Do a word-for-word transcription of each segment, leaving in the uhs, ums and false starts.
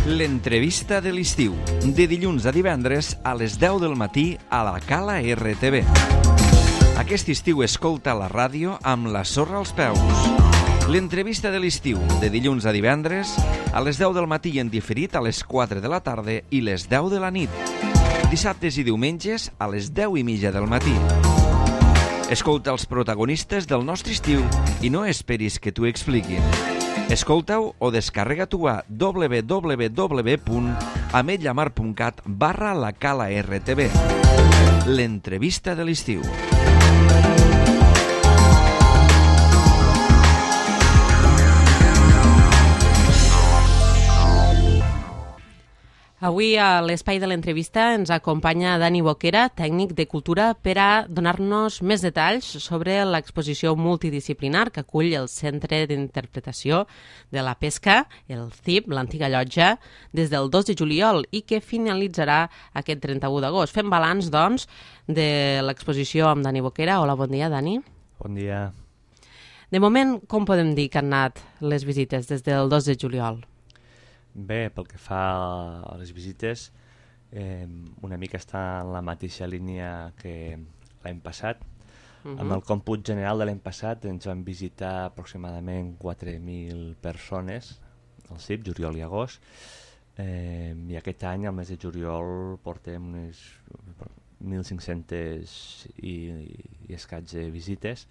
L'entrevista de l'estiu, de dilluns a divendres a les deu del matí a la Cala R T V. Aquest estiu escolta la ràdio amb la sorra als peus. L'entrevista de l'estiu, de dilluns a divendres a les deu del matí i en diferit a les quatre de la tarda i les deu de la nit. Dissabtes i diumenges a les deu i mitja del matí. Escolta els protagonistes del nostre estiu i no esperis que t'ho expliquin. Escolta-ho o descarrega-t'ho a w w w punt ametlla mar punt cat barra la Cala R T V. L'entrevista de l'estiu. Avui a l'espai de l'entrevista ens acompanya Dani Boquera, tècnic de cultura, per a donar-nos més detalls sobre l'exposició multidisciplinar que acull el Centre d'Interpretació de la Pesca, el C I P, l'antiga llotja, des del dos de juliol i que finalitzarà aquest trenta-u d'agost. Fem balanç, doncs, de l'exposició amb Dani Boquera. Hola, bon dia, Dani. Bon dia. De moment, com podem dir que han anat les visites des del dos de juliol? Bé, pel que fa a les visites, eh, una mica està en la mateixa línia que l'any passat. Uh-huh. Amb el còmput general de l'any passat ens van visitar aproximadament quatre mil persones al C I P, juliol i agost, eh, i aquest any, al mes de juliol, portem unes mil cinc-centes i, i escaig de visites.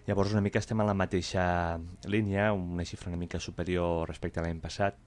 Llavors una mica estem en la mateixa línia, una xifra una mica superior respecte a l'any passat.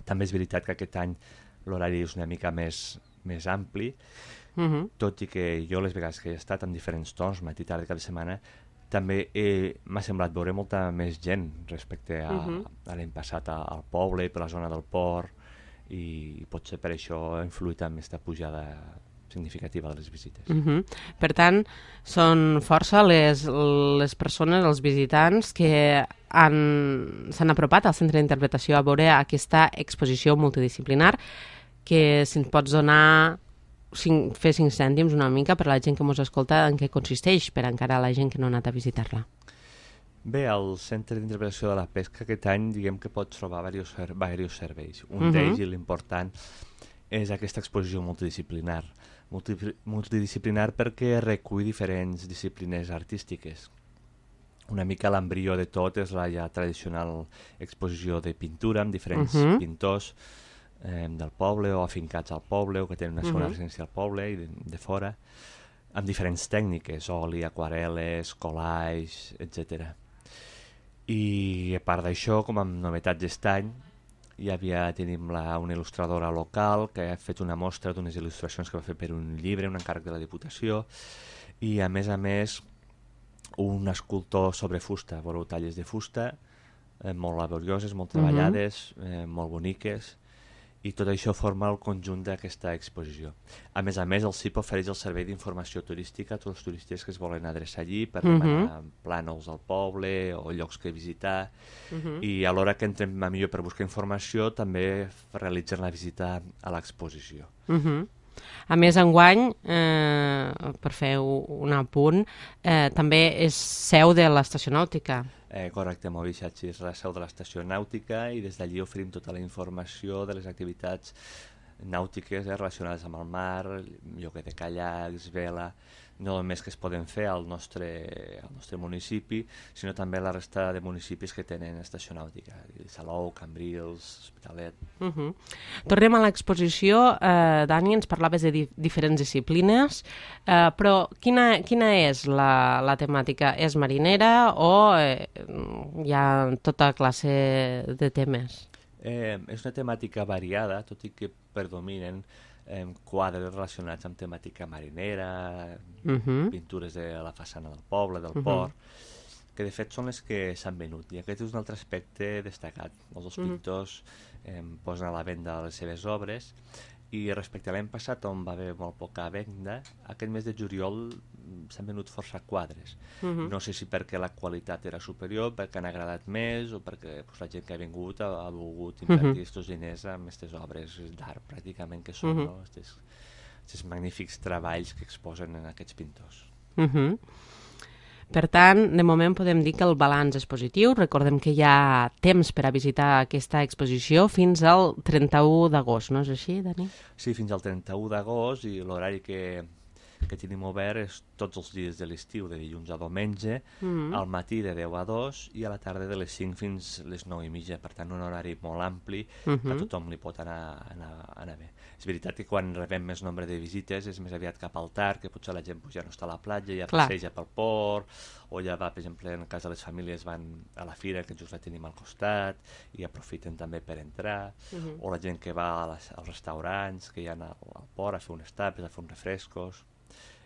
També és veritat que aquest any l'horari és una mica més, més ampli, uh-huh. tot i que jo les vegades que he estat en diferents torns, matí, tarda, cada setmana, també m'ha semblat veure molta més gent respecte a, uh-huh. a l'any passat a, al poble i per la zona del port, i potser per això ha influït en aquesta pujada significativa de les visites. Uh-huh. Per tant, són força les, les persones, els visitants que s'han apropat al Centre d'Interpretació a veure aquesta exposició multidisciplinar, que si ens pots donar cinc, fer cinc cèntims una mica per a la gent que ens escolta, en què consisteix per encara la gent que no ha anat a visitar-la. Bé, al Centre d'Interpretació de la Pesca aquest any diguem que pots trobar diversos, diversos serveis. Un uh-huh. d'ells, i l'important, és aquesta exposició multidisciplinar. Multi, multidisciplinar perquè recull diferents disciplines artístiques. Una mica l'embrió de tot és la ja tradicional exposició de pintura amb diferents uh-huh. pintors eh, del poble o afincats al poble o que tenen una segona uh-huh. residència al poble i de, de fora, amb diferents tècniques, oli, aquarel·les, collage, etcètera. I a part d'això, com a novetats d'aquest any, hi havia, tenim la, una il·lustradora local que ha fet una mostra d'unes il·lustracions que va fer per un llibre, un encàrrec de la Diputació, i a més a més un escultor sobre fusta, veureu talles de fusta, eh, molt laborioses, molt treballades, uh-huh. eh, molt boniques, i tot això forma el conjunt d'aquesta exposició. A més a més, el C I P ofereix el servei d'informació turística a tots els turistes que es volen adreçar allí per uh-huh. demanar plànols al poble o llocs que visitar, uh-huh. i a l'hora que entrem a millor per buscar informació també realitzen la visita a l'exposició. Uh-huh. A més, enguany, eh, per fer un apunt, eh, també és seu de l'estació nàutica. Eh, correcte, Movisatge és la seu de l'estació nàutica i des d'allí oferim tota la informació de les activitats nàutiques eh, relacionades amb el mar, lloguer de caiacs, vela, no només que es poden fer al nostre, al nostre municipi, sinó també la resta de municipis que tenen estació nàutica, Salou, Cambrils, Hospitalet. Uh-huh. Tornem a l'exposició. Eh, Dani, ens parlaves de di- diferents disciplines, eh, però quina, quina és la, la temàtica? És marinera o eh, hi ha tota classe de temes? Eh, és una temàtica variada, tot i que predominen eh, quadres relacionats amb temàtica marinera, uh-huh. pintures de la façana del poble, del uh-huh. port, que de fet són les que s'han venut. I aquest és un altre aspecte destacat. Els dos uh-huh. pintors eh, posen a la venda les seves obres, i respecte a l'any passat, on va haver molt poca venda, aquest mes de juliol s'han venut força quadres. Uh-huh. No sé si perquè la qualitat era superior, perquè han agradat més, o perquè pues, la gent que ha vingut ha, ha volgut invertir aquests uh-huh. diners en aquestes obres d'art, pràcticament, que són uh-huh. no? aquests magnífics treballs que exposen en aquests pintors. Uh-huh. Per tant, de moment podem dir que el balanç és positiu. Recordem que hi ha temps per a visitar aquesta exposició fins al trenta-u d'agost, no és així, Dani? Sí, fins al trenta-u d'agost, i l'horari que, que tenim obert és tots els dies de l'estiu, de dilluns a diumenge, mm-hmm. al matí de deu a dos i a la tarda de les cinc fins les nou i mitja. Per tant, un horari molt ampli, mm-hmm. que a tothom li pot anar, anar, anar bé. És veritat que quan rebem més nombre de visites és més aviat cap al tard, que potser la gent pues, ja no està a la platja, ja Clar. passeja pel port, o ja va, per exemple, en el cas de les famílies van a la fira, que just la tenim al costat, i aprofiten també per entrar, uh-huh. o la gent que va a les, als restaurants, que hi ha al, al port a fer unes tapes, a fer uns refrescos,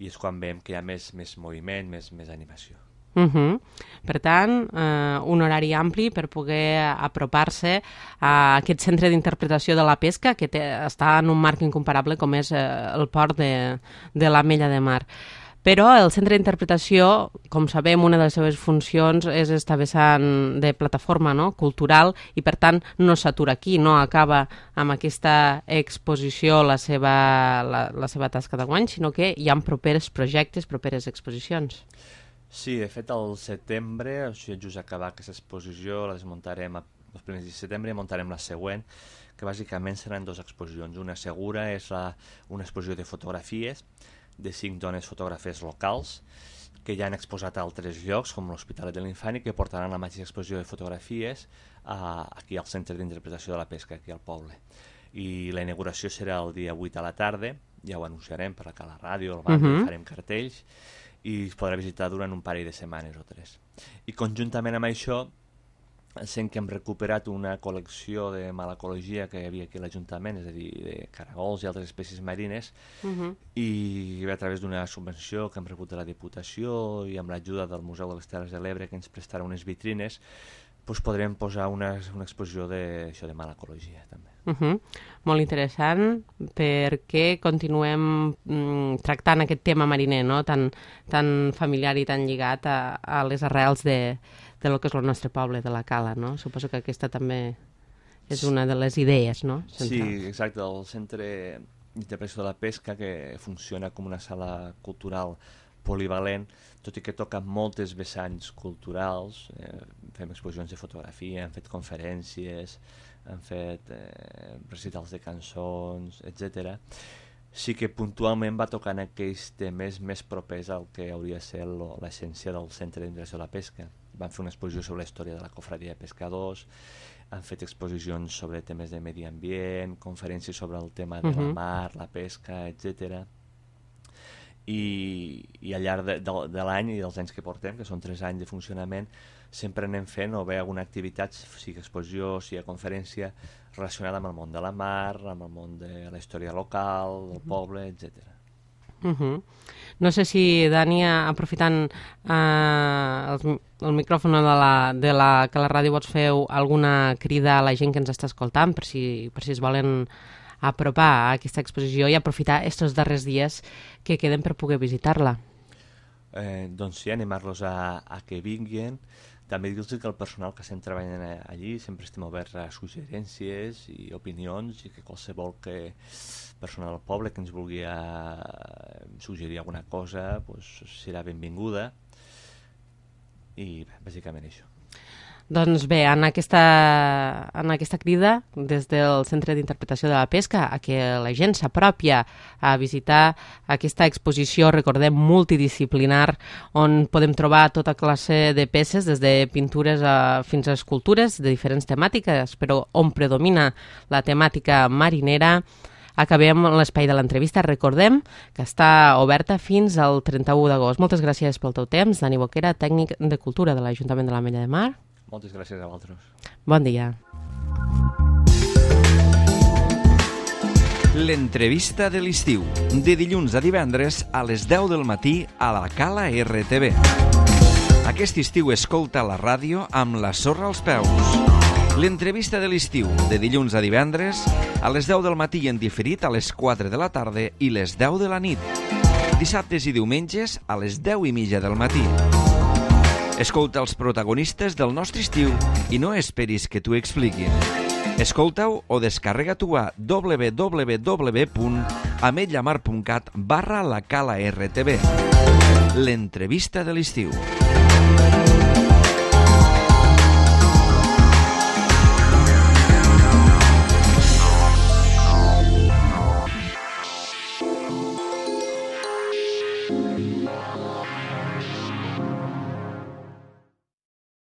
i és quan veiem que hi ha més, més moviment, més, més animació. Uh-huh. Per tant, eh, un horari ampli per poder apropar-se a aquest centre d'interpretació de la pesca que té, està en un marc incomparable com és eh, el port de, de l'Ametlla de Mar. Però el centre d'interpretació, com sabem, una de les seves funcions és esta vessant de plataforma, no?, cultural, i per tant no s'atura aquí, no acaba amb aquesta exposició la seva, la, la seva tasca d'enguany, sinó que hi ha propers projectes, properes exposicions. Sí, de fet, al setembre, o sigui, just acabar aquesta exposició, la desmuntarem els primers dies de setembre i muntarem la següent, que bàsicament seran dues exposicions. Una segura és la, una exposició de fotografies de cinc dones fotògrafes locals que ja han exposat a altres llocs, com l'Hospitalet de l'Infant, i que portaran la mateixa exposició de fotografies a, aquí al Centre d'Interpretació de la Pesca, aquí al poble. I la inauguració serà el dia vuit a la tarda, ja ho anunciarem per acá a la ràdio, al banc, uh-huh. farem cartells, i es podrà visitar durant un parell de setmanes o tres. I conjuntament amb això, sent que hem recuperat una col·lecció de malacologia que hi havia aquí a l'Ajuntament, és a dir, de caragols i altres espècies marines, uh-huh. i a través d'una subvenció que hem rebut de la Diputació i amb l'ajuda del Museu de les Terres de l'Ebre, que ens prestarà unes vitrines, doncs podrem posar una, una exposició de, això, de malacologia també. Uh-huh. Molt interessant, perquè continuem mm, tractant aquest tema mariner, no?, tan, tan familiar i tan lligat a, a les arrels de, de lo que és el nostre poble, de la Cala, no? Suposo que aquesta també és una de les idees, no?, centrals. Sí, exacte, el Centre d'Interpretació de la Pesca, que funciona com una sala cultural polivalent, tot i que toca moltes vessants culturals, eh, fem exposicions de fotografia, hem fet conferències, han fet eh, recitals de cançons, etcètera. Sí que puntualment va tocant aquells temes més propers al que hauria de ser l'essència del Centre d'Interpretació de la Pesca. Van fer una exposició sobre la història de la cofradia de pescadors, han fet exposicions sobre temes de medi ambient, conferències sobre el tema de uh-huh. la mar, la pesca, etcètera. I, i al llarg de, de, de l'any i dels anys que portem, que són tres anys de funcionament, sempre anem fent o bé alguna activitat, sigui exposició, sigui conferència, relacionada amb el món de la mar, amb el món de la història local, del poble, etcètera. Uh-huh. No sé si, Dani, aprofitant eh, el, el micròfon de la, de la, que la ràdio vols fer alguna crida a la gent que ens està escoltant, per si, per si es volen apropar a aquesta exposició i aprofitar aquests darrers dies que queden per poder visitar-la. Eh, doncs sí, animar-los a, a que vinguin. També dir-los que el personal que estem treballant allí sempre estem oberts a suggerències i opinions, i que qualsevol que personal del poble que ens vulgui a, suggerir alguna cosa pues, serà benvinguda, i bàsicament això. Doncs bé, en aquesta, en aquesta crida des del Centre d'Interpretació de la Pesca a que la gent s'apropia a visitar aquesta exposició, recordem, multidisciplinar, on podem trobar tota classe de peces, des de pintures a, fins a escultures de diferents temàtiques, però on predomina la temàtica marinera. Acabem l'espai de l'entrevista. Recordem que està oberta fins al trenta-u d'agost. Moltes gràcies pel teu temps, Dani Boquera, tècnic de Cultura de l'Ajuntament de l'Ametlla de Mar. Moltes gràcies a vosaltres. Bon dia. L'entrevista de l'estiu, de dilluns a divendres a les deu del matí a la Cala R T V. Aquest estiu escolta la ràdio amb la sorra als peus. L'entrevista de l'estiu, de dilluns a divendres a les deu del matí en diferit a les quatre de la tarda i les deu de la nit. Dissabtes i diumenges a les deu i mitja del matí. Escolta els protagonistes del nostre estiu i no esperis que t'ho expliquin. Escolta-ho o descarrega-t'ho a w w w punt ametlamar punt cat barra la Cala R T V. L'entrevista de l'estiu.